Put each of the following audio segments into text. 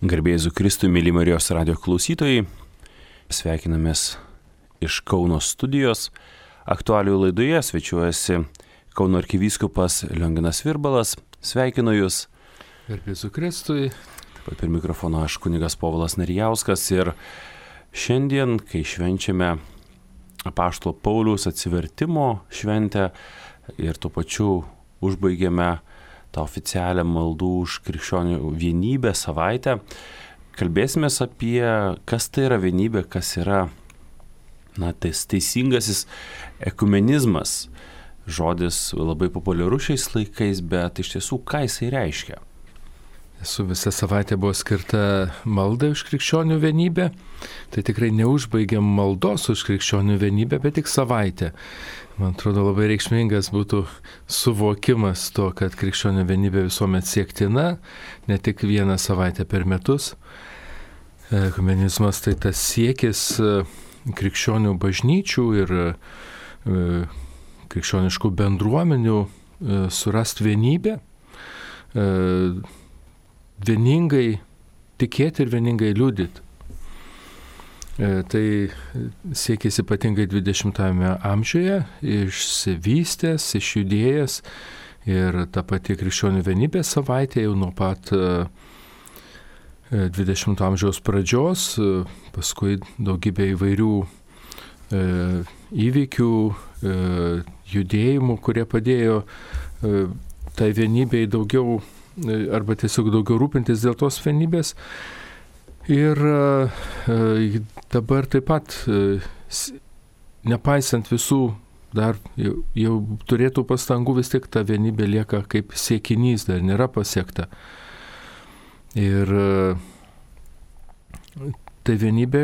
Garbė Jėzui Kristui, mėly Marijos radijo klausytojai, sveikinamės iš Kauno studijos. Aktualijų laidoje svečiuojasi Kauno arkivyskupas Lionginas Virbalas. Sveikinu Jūs. Garbė Jėzui Kristui. Taip pat prie mikrofono aš kunigas Povilas Narijauskas. Ir šiandien, kai švenčiame apaštalo Pauliaus atsivertimo šventę ir tuo pačiu užbaigėme tą oficialią maldų už krikščionių vienybę savaitę, kalbėsime apie, kas tai yra vienybė, kas yra teisingasis ekumenizmas. Žodis labai populiarus šiais laikais, bet iš tiesų, ką jisai reiškia? Visą savaitę buvo skirta maldai už krikščionių vienybę. Tai tikrai neužbaigiam maldos už krikščionių vienybę, bet tik savaitę. Man atrodo, labai reikšmingas būtų suvokimas to, kad krikščionių vienybė visuomet siektina, ne tik vieną savaitę per metus. Ekumenizmas tai tas siekis krikščionių bažnyčių ir krikščioniškų bendruomenių surasti vienybę, vieningai tikėti ir vieningai liudyti. Tai siekis ypatingai 20-ame amžiuje, išsivystęs, išjudėjęs ir ta pati krikščionių vienybės savaitė jau nuo pat 20 amžiaus pradžios, paskui daugybė įvairių įvykių, judėjimų, kurie padėjo tai vienybei daugiau arba tiesiog daugiau rūpintis dėl tos vienybės. Ir dabar taip pat, nepaisant visų, dar jau turėtų pastangų, vis tik ta vienybė lieka kaip siekinys, dar nėra pasiekta. Ir tai vienybė,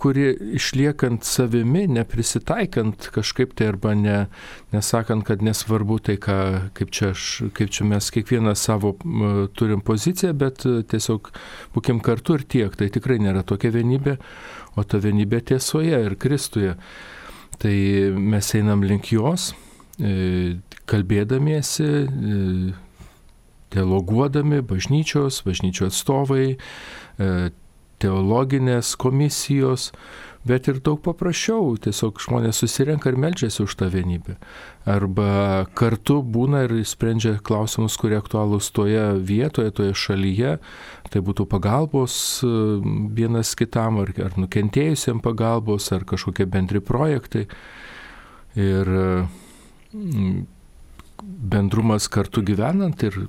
kuri išliekant savimi, neprisitaikant kažkaip tai arba nesakant, kad nesvarbu tai, kaip čia mes kiekvienas savo turim poziciją, bet tiesiog būkim kartu ir tiek. Tai tikrai nėra tokia vienybė, o ta vienybė tiesoje ir Kristuje. Tai mes einam link jos, kalbėdamiesi, dialoguodami, bažnyčių atstovai, teologinės komisijos, bet ir daug paprasčiau, tiesiog žmonės susirenka ir meldžiasi už tą vienybę. Arba kartu būna ir sprendžia klausimus, kurie aktualūs toje vietoje, toje šalyje, tai būtų pagalbos vienas kitam, ar nukentėjusiem pagalbos, ar kažkokie bendri projektai. Ir bendrumas kartu gyvenant ir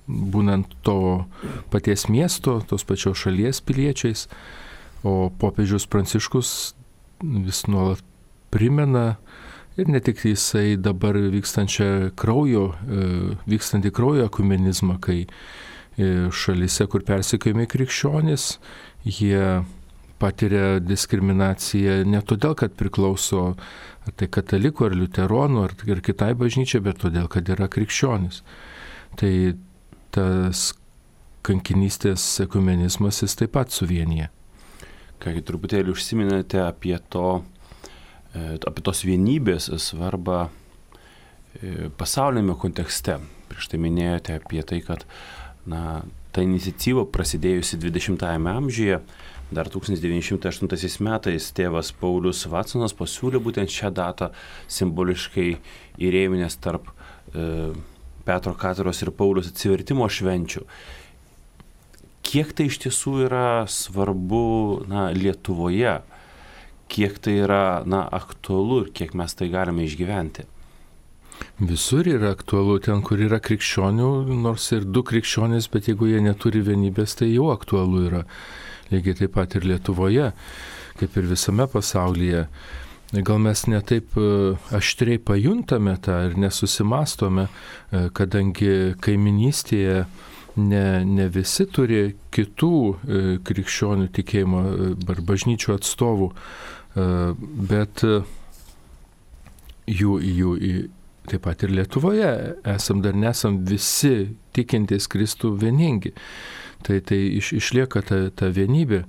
būnant to paties miesto, tos pačios šalies piliečiais, o popiežius Pranciškus vis nuolat primena ir ne tik jisai dabar vykstantį kraujo ekumenizmą, kai šalyse, kur persekiojami krikščionys, jie patiria diskriminaciją ne todėl, kad priklauso ar tai katalikų, ar liuteronų, ar kitai bažnyčiai, bet todėl, kad yra krikščionys. Tai tas kankinystės ekumenizmas jis taip pat suvienyje. Kągi, truputėlį užsiminėte apie tos vienybės svarbą pasaulyme kontekste. Prieš tai minėjote apie tai, kad ta iniciatyva prasidėjusi 20-ame amžiuje, dar 1908 metais tėvas Paulius Vatsonas pasiūlė būtent šią datą simboliškai įrėminęs tarp Petro Kataros ir Pauliaus atsivertimo švenčių. Kiek tai iš tiesų yra svarbu Lietuvoje, kiek tai yra aktualu ir kiek mes tai galime išgyventi? Visur yra aktualu, ten, kur yra krikščionių, nors ir du krikščionys, bet jeigu jie neturi vienybės, tai jau aktualu yra. Lygiai taip pat ir Lietuvoje, kaip ir visame pasaulyje. Gal mes netaip aštriai pajuntame tą ir nesusimastome, kadangi kaiminystėje ne visi turi kitų krikščionių tikėjimo ar bažnyčių atstovų, bet jų taip pat ir Lietuvoje nesam visi tikintys Kristų vieningi. Tai išlieka ta vienybė.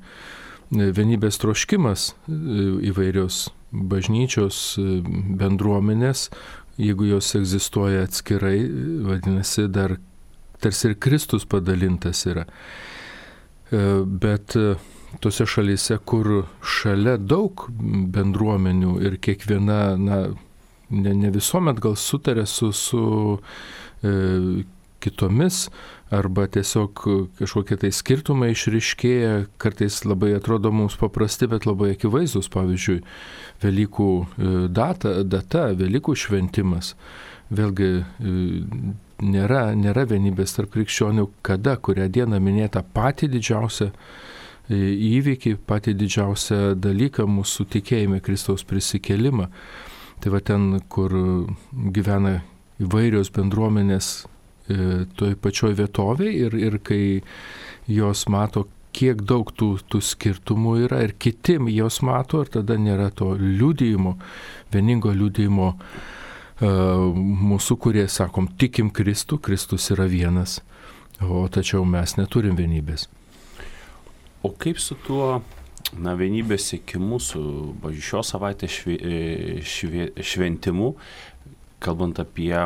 Vienybės troškimas įvairios bažnyčios bendruomenės, jeigu jos egzistuoja atskirai, vadinasi, dar tarsi ir Kristus padalintas yra. Bet tose šalyse, kur šalia daug bendruomenių ir kiekviena, ne visuomet gal sutarė su kitomis, arba tiesiog kažkokie tai skirtumai išryškėja, kartais labai atrodo mums paprasti, bet labai akivaizdus, pavyzdžiui, Velykų data, Velykų šventimas. Vėlgi nėra vienybės tarp krikščionių, kurią dieną minėta patį didžiausią įvykį, patį didžiausią dalyką mūsų tikėjime, Kristaus prisikėlimą. Tai va ten, kur gyvena įvairios bendruomenės toj pačioj vietovėje ir kai jos mato, kiek daug tų skirtumų yra ir kiti jos mato, ir tada nėra to liudijimo, vieningo liudijimo mūsų, kurie sakom, tikim Kristų, Kristus yra vienas, o tačiau mes neturim vienybės. O kaip su tuo vienybės siekimu, su šios savaitės šventimu, kalbant apie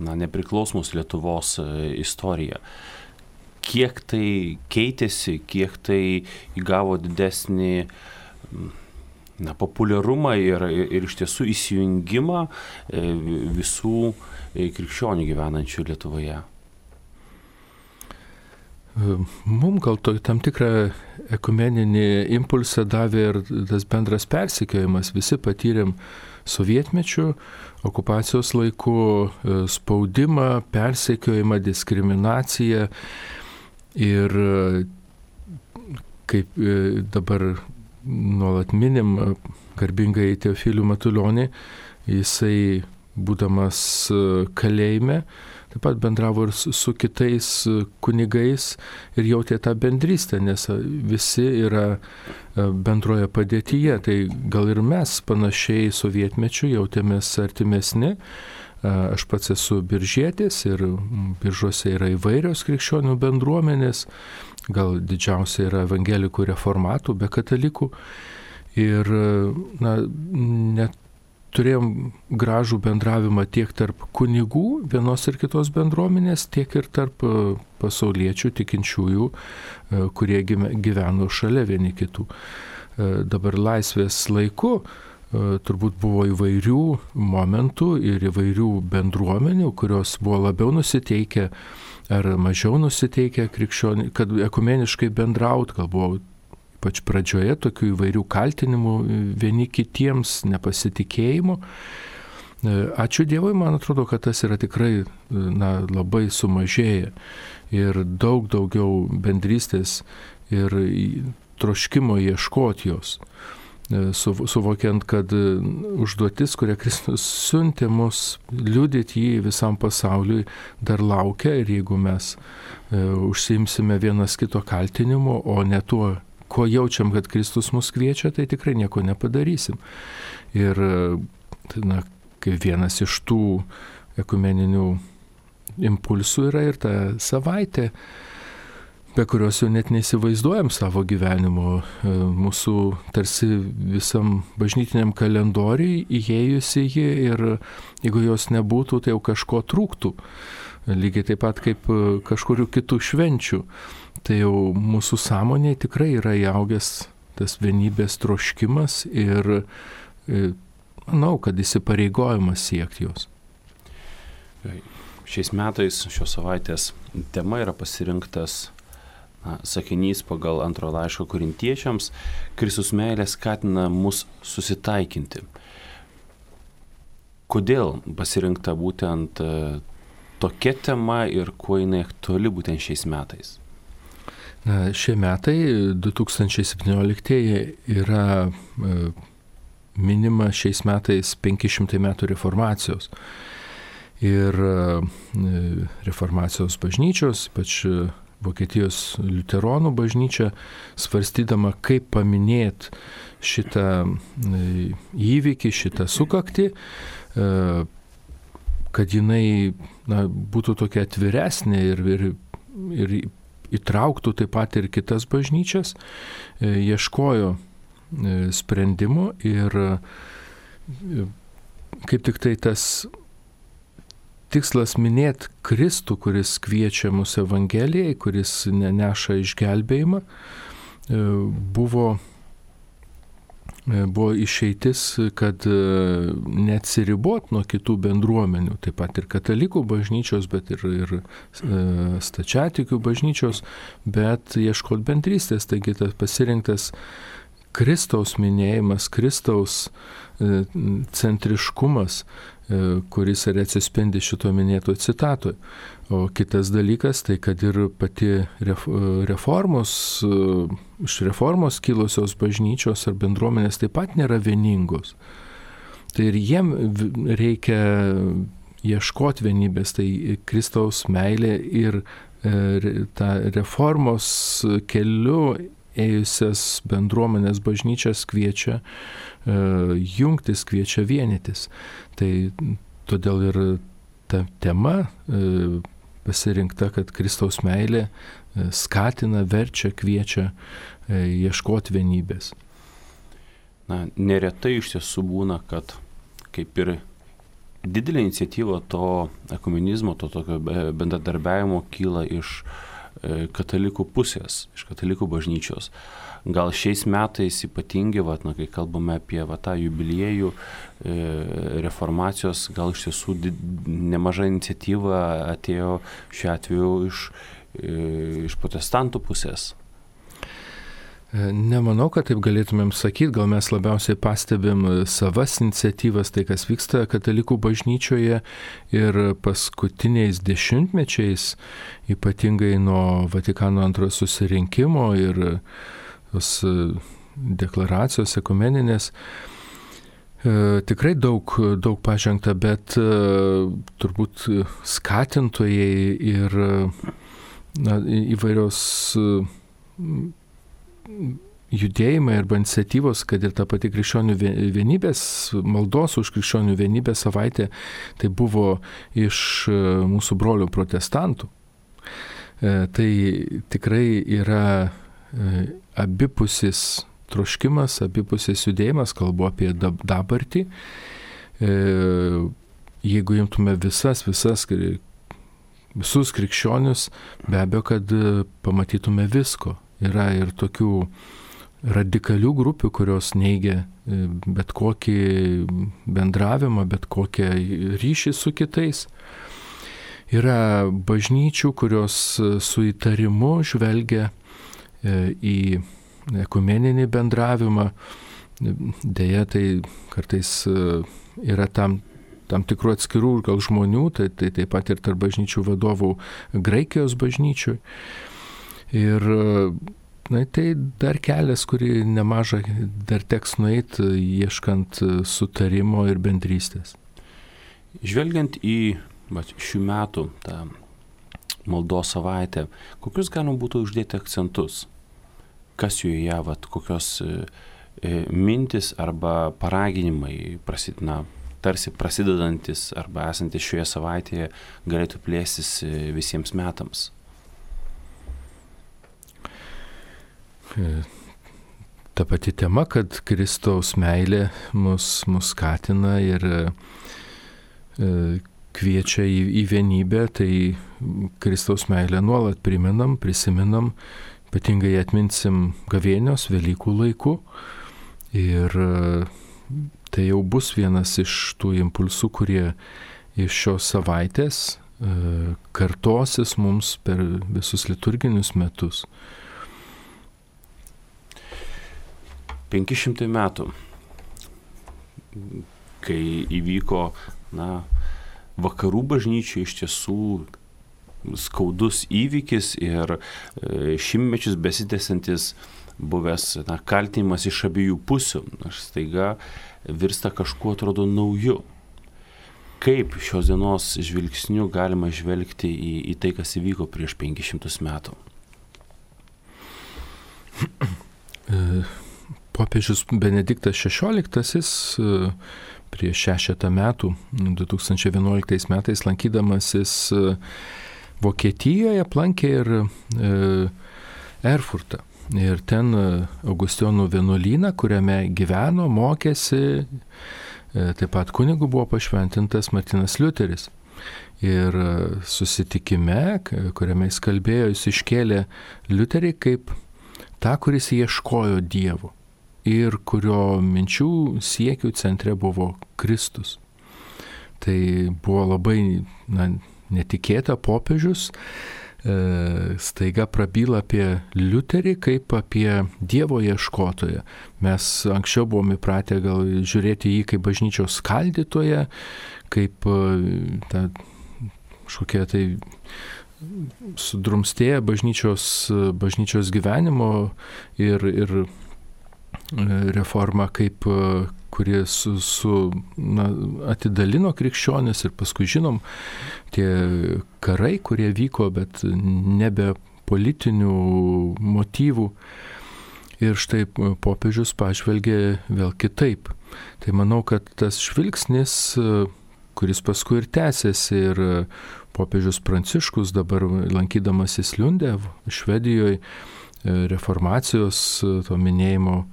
nepriklausomos Lietuvos istoriją? Kiek tai keitėsi, kiek tai įgavo didesnį populiarumą ir iš tiesų įsijungimą visų krikščionių gyvenančių Lietuvoje? Mums gal tam tikrą ekumeninį impulsą davė ir tas bendras persekiojimas. Visi patyrėm sovietmečių, okupacijos laikų spaudimą, persekiojimą, diskriminaciją. Ir kaip dabar nuolat minim garbingai Teofilių Matulionį, jisai, būdamas kalėjime, taip pat bendravo ir su kitais kunigais ir jautė tą bendrystę, nes visi yra bendroje padėtyje. Tai gal ir mes panašiai sovietmečiu jautėmės artimesni. Aš pats esu biržietis ir Biržuose yra įvairios krikščionių bendruomenės, gal didžiausia yra evangelikų reformatų, be katalikų. Ir net turėjom gražų bendravimą tiek tarp kunigų vienos ir kitos bendruomenės, tiek ir tarp pasauliečių tikinčiųjų, kurie gyveno šalia vieni kitų. Dabar laisvės laiku turbūt buvo įvairių momentų ir įvairių bendruomenių, kurios buvo labiau nusiteikę ar mažiau nusiteikę krikščionių, kad ekumeniškai bendraut, gal buvo ypač pradžioje tokių įvairių kaltinimų vieni kitiems, nepasitikėjimų. Ačiū Dievui, man atrodo, kad tas yra tikrai labai sumažėję ir daug daugiau bendrystės ir troškimo ieškoti jos. Suvokiant, kad užduotis, kurią Kristus siuntė mus liudyti jį visam pasauliui, dar laukia, ir jeigu mes užsiimsime vienas kito kaltinimu, o ne tuo, ko jaučiam, kad Kristus mus kviečia, tai tikrai nieko nepadarysim. Ir kai vienas iš tų ekumeninių impulsų yra ir ta savaitė, be kurios jau net neįsivaizduojam savo gyvenimo, mūsų tarsi visam bažnytiniam kalendoriui įėjusi ji, ir jeigu jos nebūtų, tai jau kažko trūktų. Lygiai taip pat kaip kažkurių kitų švenčių. Tai jau mūsų sąmonėje tikrai yra įaugęs tas vienybės troškimas ir manau, kad įsipareigojimas siekti jos. Šiais metais, šios savaitės tema yra pasirinktas sakinys pagal antro laiško korintiečiams: Kristus meilė skatina mus susitaikinti. Kodėl pasirinkta būtent tokia tema ir kuo jinai aktuali būtent šiais metais? Šie metai, 2017, yra minima šiais metais 500 metų reformacijos. Ir reformacijos bažnyčios, ypač Vokietijos liuteronų bažnyčia, svarstydama, kaip paminėti šitą įvykį, šitą sukaktį, kad jinai būtų tokia atviresnė ir įtrauktų taip pat ir kitas bažnyčias, ieškojo sprendimų ir kaip tik tai tikslas minėti Kristų, kuris kviečia mus Evangelijai, kuris neša išgelbėjimą, buvo išeitis, kad neatsiribot nuo kitų bendruomenių, taip pat ir katalikų bažnyčios, bet ir stačiatikių bažnyčios, bet ieškot bendrystės. Taigi tas pasirinktas Kristaus minėjimas, Kristaus centriškumas, kuris ir atsispindi šito minėto citatoje. O kitas dalykas, tai kad ir pati iš reformos kilusios bažnyčios ar bendruomenės taip pat nėra vieningos. Tai ir jiem reikia ieškoti vienybės, tai Kristaus meilė ir tą reformos keliu ėjusias bendruomenės bažnyčias kviečia jungtis, kviečia vienytis. Tai todėl ir ta tema pasirinkta, kad Kristaus meilė skatina, verčia, kviečia ieškoti vienybės. Na, neretai iš tiesų būna, kad kaip ir didelė iniciatyva to ekumenizmo, to tokio bendradarbiavimo kyla iš katalikų pusės, iš katalikų bažnyčios. Gal šiais metais ypatingai, kai kalbame apie tą jubiliejų reformacijos, gal iš tiesų nemaža iniciatyva atėjo šiuo atveju iš protestantų pusės. Nemanau, kad taip galėtumėm sakyti, gal mes labiausiai pastebim savas iniciatyvas, tai kas vyksta katalikų bažnyčioje ir paskutiniais dešimtmečiais, ypatingai nuo Vatikano antrojo susirinkimo ir tos deklaracijos ekumeninės, tikrai daug pažengta, bet turbūt skatintojai ir įvairios judėjimai arba iniciatyvos, kad ir ta pati krikščionių vienybės, maldos už krikščionių vienybę savaitė, tai buvo iš mūsų brolių protestantų. Tai tikrai yra abipusis troškimas, abipusis judėjimas, kalbu apie dabartį. Jeigu imtume visus krikščionius, be abejo, kad pamatytume visko. Yra ir tokių radikalių grupių, kurios neigia bet kokį bendravimą, bet kokią ryšį su kitais. Yra bažnyčių, kurios su įtarimu žvelgia į ekumeninį bendravimą. Deja, tai kartais yra tam tikrų atskirų gal žmonių, tai taip pat ir tarp bažnyčių vadovų Graikijos bažnyčių. Ir tai dar kelias, kurį nemaža dar teks nueiti, ieškant sutarimo ir bendrystės. Žvelgiant į šių metų tą maldos savaitę, kokius galima būtų uždėti akcentus? Kas joje, kokios mintis arba paraginimai tarsi prasidedantis arba esantis šioje savaitėje galėtų plėstis visiems metams? Ta pati tema, kad Kristaus meilė mus skatina ir kviečia į vienybę, tai Kristaus meilę nuolat prisiminam, ypatingai atminsim gavėnios, Velykų laiku. Ir tai jau bus vienas iš tų impulsų, kurie iš šios savaitės kartosis mums per visus liturginius metus. 500 metų, kai įvyko vakarų bažnyčiai iš tiesų skaudus įvykis ir šimtmečius besitęsiantis buvęs kaltinimas iš abiejų pusių, staiga virsta kažkuo atrodo nauju. Kaip šios dienos žvilgsniu galima žvelgti į tai, kas įvyko prieš 500 metų? Popiežius Benediktas XVI prieš 6 metų, 2011 metais, lankydamasis Vokietijoje, aplankė ir Erfurtą. Ir ten Augustinų vienuolyną, kuriame gyveno, mokėsi, taip pat kunigu buvo pašventintas Martinas Liuteris. Ir susitikime, kuriame jis kalbėjo, jis iškėlė Liuterį kaip tą, kuris ieškojo Dievo ir kurio minčių siekių centre buvo Kristus. Tai buvo labai netikėta, popiežius staiga prabyla apie Liuterį kaip apie Dievo ieškotoją. Mes anksčiau buvome įpratę gal žiūrėti jį kaip bažnyčios skaldytoją, kaip tą kažkokie tai sudrumstėję bažnyčios gyvenimo ir reforma, kaip kurie atidalino krikščionis, ir paskui žinom tie karai, kurie vyko, bet nebe politinių motyvų. Ir štai popiežius pažvelgė vėl kitaip. Tai manau, kad tas žvilgsnis, kuris paskui ir tęsiasi, ir popiežius Pranciškus dabar lankydamasis Liunde, Švedijoje, reformacijos to minėjimo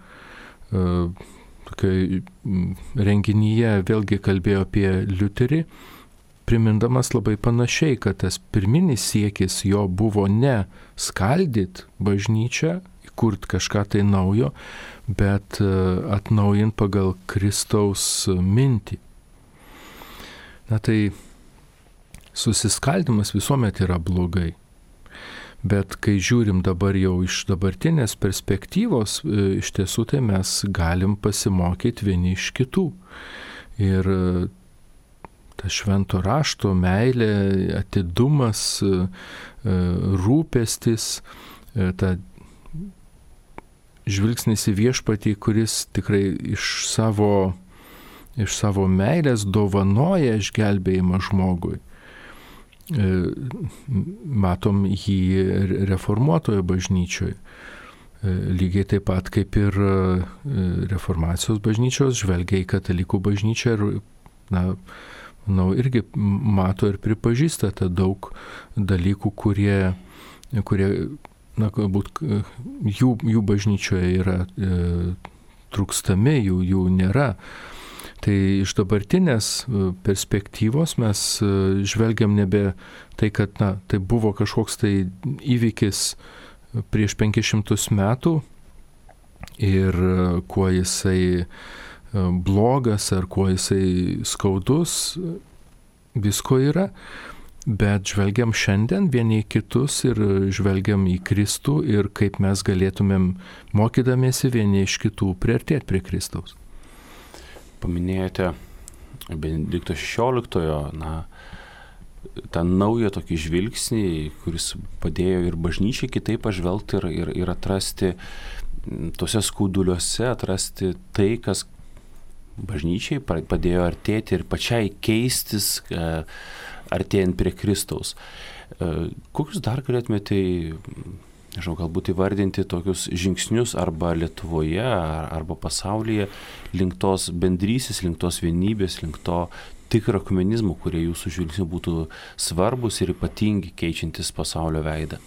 tokioje renginyje vėlgi kalbėjo apie Liuterį, primindamas labai panašiai, kad tas pirminis siekis jo buvo ne skaldyti bažnyčią, įkurti kažką tai naujo, bet atnaujinti pagal Kristaus mintį. Na tai susiskaldimas visuomet yra blogai. Bet kai žiūrim dabar jau iš dabartinės perspektyvos, iš tiesų tai mes galim pasimokyti vieni iš kitų. Ir ta švento rašto meilė, atidumas, rūpestis, ta žvilgsnis į viešpatį, kuris tikrai iš savo meilės dovanoja išgelbėjimą žmogui. Matom jį reformuotojo bažnyčioje. Lygiai taip pat kaip ir reformacijos bažnyčios žvelgia į katalikų bažnyčią ir, manau, irgi mato ir pripažįsta tą daug dalykų, kurie galbūt jų bažnyčioje yra trūkstami, jų nėra. Tai iš dabartinės perspektyvos mes žvelgiam nebe tai, kad tai buvo kažkoks tai įvykis prieš 500 metų ir kuo jisai blogas ar kuo jisai skaudus, visko yra, bet žvelgiam šiandien vieni į kitus ir žvelgiam į Kristų ir kaip mes galėtumėm, mokydamiesi vieni iš kitų, priartėti prie Kristaus. Paminėjote Benedikto XVI, tą naują tokį žvilgsnį, kuris padėjo ir bažnyčiai kitaip pažvelgti ir atrasti tose skauduliuose, atrasti tai, kas bažnyčiai padėjo artėti ir pačiai keistis, artėjant prie Kristaus. Kokius dar galėtumėte, galbūt įvardinti tokius žingsnius arba Lietuvoje, arba pasaulyje link tos bendrystės, link tos vienybės, link to tikro ekumenizmo, kurie jūsų žvilgsniu būtų svarbus ir ypatingi keičiantis pasaulio veidą?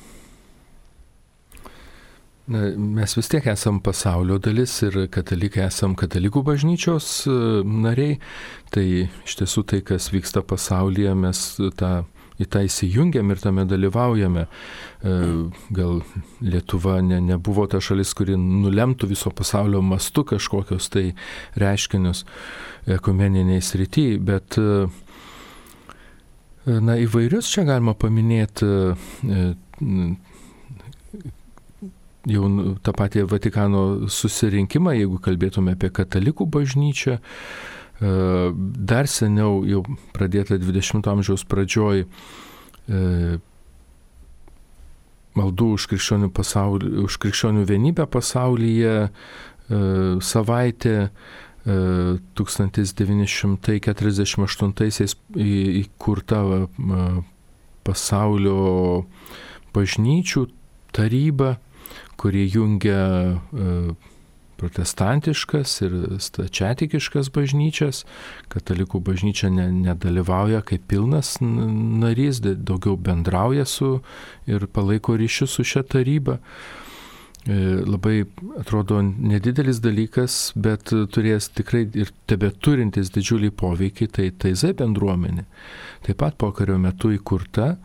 Mes vis tiek esam pasaulio dalis ir katalikai esam katalikų bažnyčios nariai. Tai iš tiesų tai, kas vyksta pasaulyje, mes į tą įsijungiam ir tame dalyvaujame. Gal Lietuva nebuvo ta šalis, kuri nulemtų viso pasaulio mastu kažkokios tai reiškinius ekumeniniai srity, bet įvairius čia galima paminėti jau tą patį Vatikano susirinkimą, jeigu kalbėtume apie katalikų bažnyčią. Dar seniau, jau pradėta 20 amžiaus pradžioj, maldų už krikščionių vienybę pasaulyje savaitė 1948 įkurta pasaulio bažnyčių taryba, kuri jungia protestantiškas ir stačiatikiškas bažnyčias. Katalikų bažnyčia nedalyvauja kaip pilnas narys, daugiau bendrauja su ir palaiko ryšius su šia taryba. labai atrodo nedidelis dalykas, bet turės tikrai ir tebeturintis didžiulį poveikį, tai TZ bendruomenė. Taip pat pokario metu įkurta,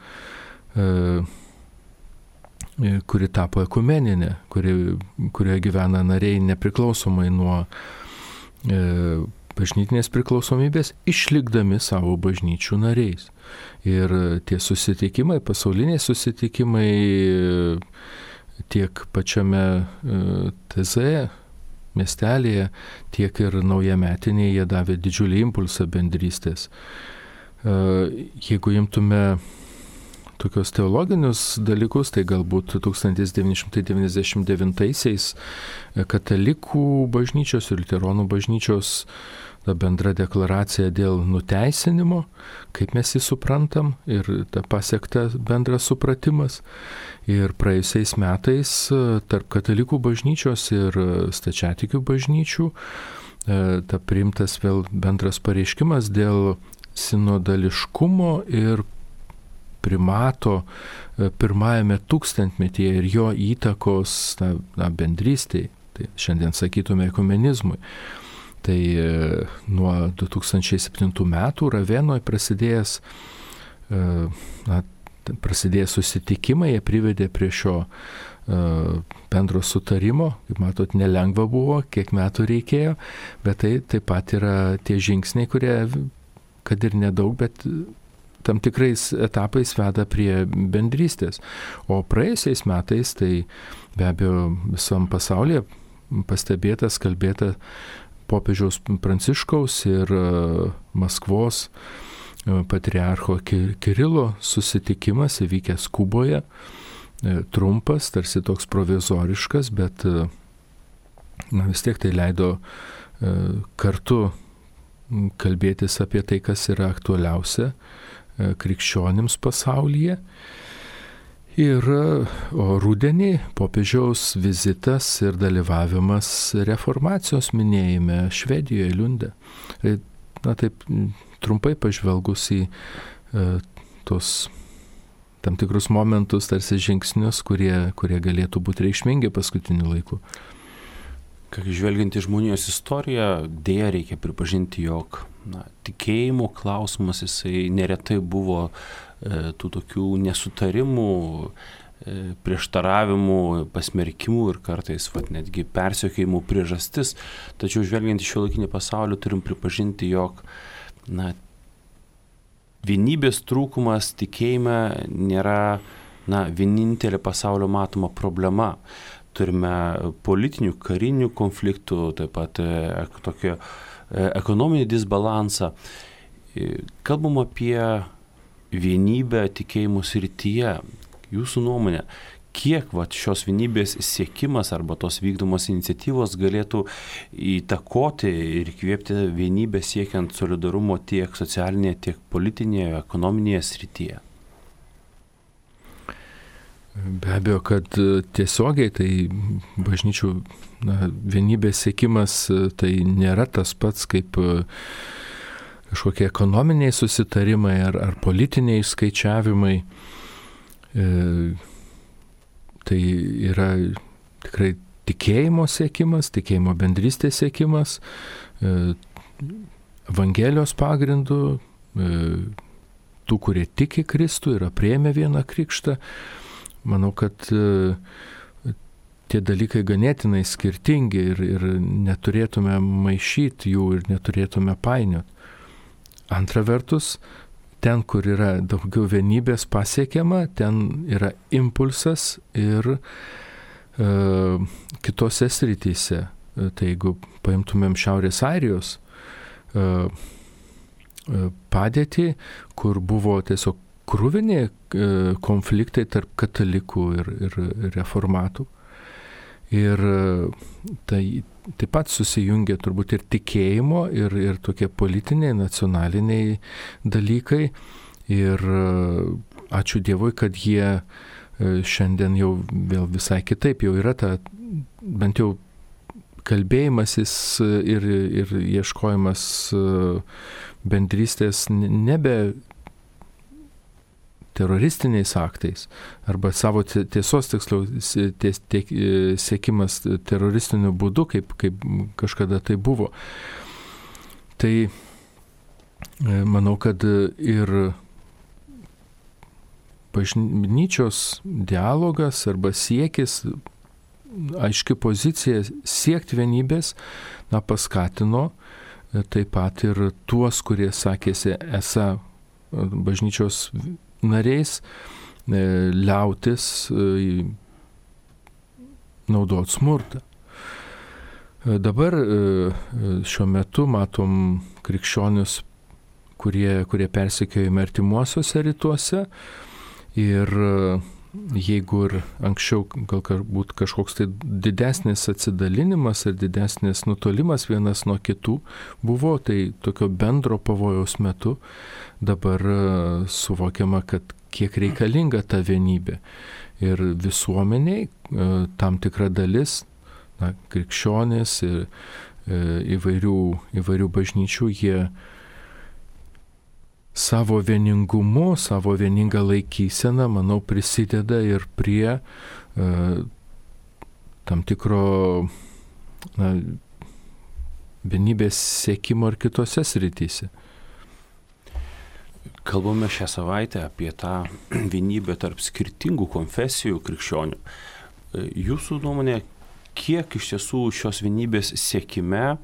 kuri tapo ekumeninė, kurioje gyvena nariai nepriklausomai nuo bažnytinės priklausomybės, išlikdami savo bažnyčių nariais. Ir tie susitikimai, pasauliniai susitikimai tiek pačiame TZ miestelėje, tiek ir naujametinėje jie davė didžiulį impulsą bendrystės. Jeigu imtume tokios teologinius dalykus, tai galbūt 1999-aisiais katalikų bažnyčios ir liuteronų bažnyčios bendra deklaracija dėl nuteisinimo, kaip mes jį suprantam, ir ta pasiekta bendras supratimas. Ir praėjusiais metais tarp katalikų bažnyčios ir stačiatikių bažnyčių ta priimtas vėl bendras pareiškimas dėl sinodališkumo ir primato pirmajame tūkstantmetyje ir jo įtakos bendrystei, tai šiandien sakytume ekumenizmui. Tai nuo 2007 metų Ravenoje prasidėjo susitikimai, jie privedė prie šio bendro sutarimo. Kaip matot, nelengva buvo, kiek metų reikėjo, bet tai taip pat yra tie žingsniai, kurie, kad ir nedaug, bet tam tikrais etapais veda prie bendrystės. O praėjusiais metais, tai be abejo visam pasaulyje pastebėtas, kalbėta popiežiaus Pranciškaus ir Maskvos patriarcho Kirilo susitikimas įvykęs Kuboje, trumpas, tarsi toks provizoriškas, bet vis tiek tai leido kartu kalbėtis apie tai, kas yra aktualiausia krikščionims pasaulyje. O rudenį popiežiaus vizitas ir dalyvavimas reformacijos minėjime Švedijoje, Liunde. Taip trumpai pažvelgus į tos tam tikrus momentus, tarsi žingsnius, kurie galėtų būti reikšmingi paskutiniu laiku. Žvelgiant į žmonijos istoriją, dėja reikia pripažinti, jog tikėjimo klausimas jisai neretai buvo tų tokių nesutarimų, prieštaravimų, pasmerkimų ir kartais netgi persekiojimų priežastis. Tačiau žvelgiant į šiuolaikinį pasaulį turim pripažinti, jog vienybės trūkumas tikėjime nėra vienintelė pasaulio matoma problema. Turime politinių, karinių konfliktų, taip pat tokio ekonominį disbalansą. Kalbam apie vienybę tikėjimo srityje. Jūsų nuomonė, kiek šios vienybės siekimas arba tos vykdomos iniciatyvos galėtų įtakoti ir įkvėpti vienybę siekiant solidarumo tiek socialinėje, tiek politinėje, ekonominėje srityje? Be abejo, kad tiesiogiai tai bažnyčių vienybės siekimas tai nėra tas pats kaip kažkokie ekonominiai susitarimai ar politiniai skaičiavimai. Tai yra tikrai tikėjimo siekimas, tikėjimo bendrystės siekimas, Evangelijos pagrindu, tų, kurie tiki Kristų, yra priėmę vieną krikštą. Manau, kad tie dalykai ganėtinai skirtingi ir neturėtume maišyti jų ir neturėtume painioti. Antra vertus, ten, kur yra daugiau vienybės pasiekiama, ten yra impulsas ir kitose srityse. Tai jeigu paimtumėm Šiaurės Airijos padėtį, kur buvo tiesiog kruvini konfliktai tarp katalikų ir reformatų. Ir tai taip pat susijungia turbūt ir tikėjimo, ir tokie politiniai, nacionaliniai dalykai. Ir ačiū Dievui, kad jie šiandien jau vėl visai kitaip, jau yra ta bent jau kalbėjimasis ir ieškojimas bendrystės nebe teroristiniais aktais, arba savo tiesos tiksliau siekimas teroristiniu būdu, kaip kažkada tai buvo. Tai manau, kad ir bažnyčios dialogas arba siekis, aiški pozicija siekti vienybės, paskatino taip pat ir tuos, kurie sakėsi esą bažnyčios nariais, liautis naudoti smurtą. Dabar šiuo metu matom krikščionius, kurie persekiojami artimuosiuose rytuose, ir jeigu ir anksčiau galbūt kažkoks tai didesnis atsidalinimas ir didesnis nutolimas vienas nuo kitų buvo, tai tokio bendro pavojaus metu dabar suvokiama, kad kiek reikalinga ta vienybė. Ir visuomeniai tam tikra dalis, krikščionys ir įvairių bažnyčių, jie savo vieningumu, savo vieningą laikyseną, manau, prisideda ir prie tam tikro vienybės siekimo ir kitose srityse. Kalbame šią savaitę apie tą vienybę tarp skirtingų konfesijų krikščionių. Jūsų nuomonė, kiek iš tiesų šios vienybės siekime,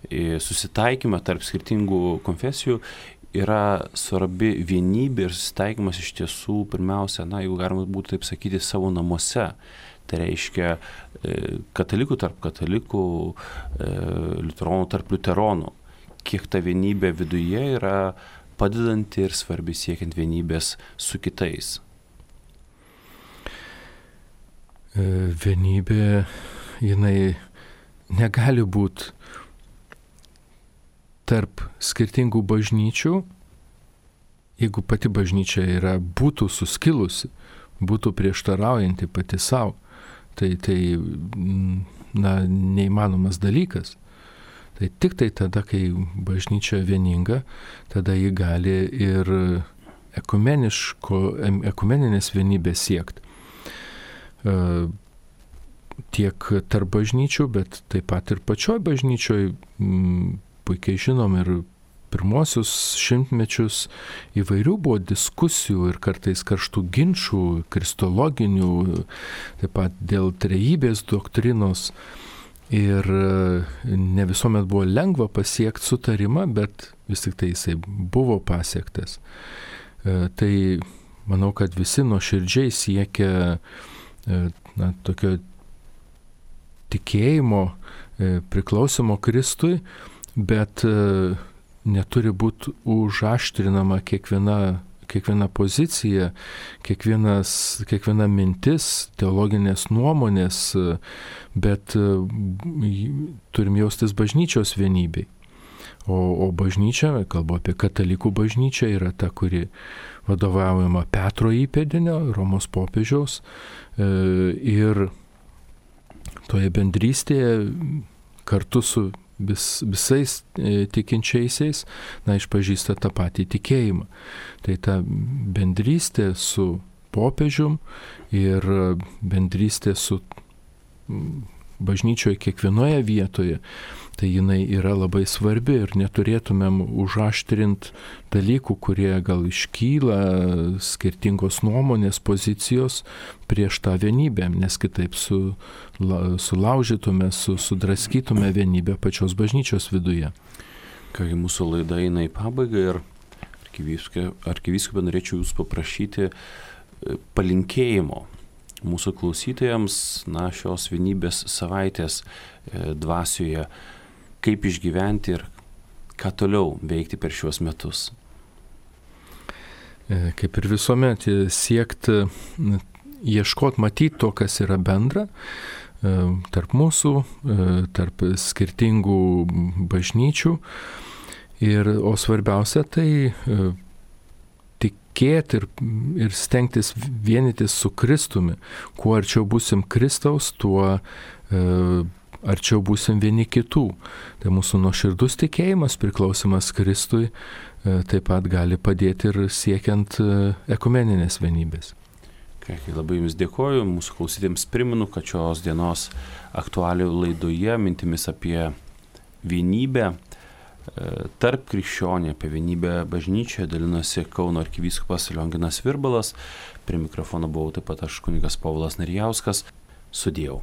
susitaikymą tarp skirtingų konfesijų yra svarbi vienybė ir susitaikymas iš tiesų pirmiausia, jeigu galima būtų taip sakyti, savo namuose. Tai reiškia katalikų tarp katalikų, liuteronų tarp liuteronų. Kiek ta vienybė viduje yra padedanti ir svarbi siekiant vienybės su kitais. Vienybė, jinai negali būti tarp skirtingų bažnyčių, jeigu pati bažnyčia būtų suskilusi, būtų prieštaraujanti pati savo, tai neįmanomas dalykas. Tai tik tai tada, kai bažnyčia vieninga, tada ji gali ir ekumeninės vienybės siekti. Tiek tarp bažnyčių, bet taip pat ir pačioj bažnyčioj. Puikiai žinom ir pirmosius šimtmečius įvairių buvo diskusijų ir kartais karštų ginčų, kristologinių, taip pat dėl trejybės doktrinos. Ir ne visuomet buvo lengva pasiekti sutarimą, bet vis tik tai jisai buvo pasiektas. Tai manau, kad visi nuoširdžiai siekia tokio tikėjimo, priklausimo Kristui, bet neturi būti užaštrinama kiekviena pozicija, kiekviena mintis, teologinės nuomonės, bet turim jaustis bažnyčios vienybei. O bažnyčia, kalbu apie katalikų bažnyčią, yra ta, kuri vadovaujama Petro įpėdinio, Romos popiežiaus, ir toje bendrystėje kartu su visais tikinčiaisiais, išpažįsta tą patį tikėjimą. Tai ta bendrystė su popiežium ir bendrystė su bažnyčioje kiekvienoje vietoje, tai jinai yra labai svarbi ir neturėtumėm užaštrinti dalykų, kurie gal iškyla, skirtingos nuomonės, pozicijos prieš tą vienybę, nes kitaip sulaužytume, sudraskytume vienybę pačios bažnyčios viduje. Kągi, mūsų laida eina į pabaigą ir arkivyskupė norėčiau jūs paprašyti palinkėjimo mūsų klausytojams, šios vienybės savaitės dvasioje, kaip išgyventi ir ką toliau veikti per šiuos metus. Kaip ir visuomet, siekti, ieškoti, matyti to, kas yra bendra tarp mūsų, tarp skirtingų bažnyčių. O svarbiausia tai tikėti ir stengtis vienytis su Kristumi. Kuo arčiau būsim Kristaus, tuo arčiau būsim vieni kitų. Tai mūsų nuoširdus tikėjimas, priklausimas Kristui, taip pat gali padėti ir siekiant ekumeninės vienybės. Labai Jums dėkoju, mūsų klausytėms primenu, kad šios dienos aktualijų laidoje mintimis apie vienybę tarp krikščionių, apie vienybę bažnyčioje dalinosi Kauno arkivyskupas Lionginas Virbalas, prie mikrofono buvau taip pat aš kunigas Povilas Narijauskas, sudėjau.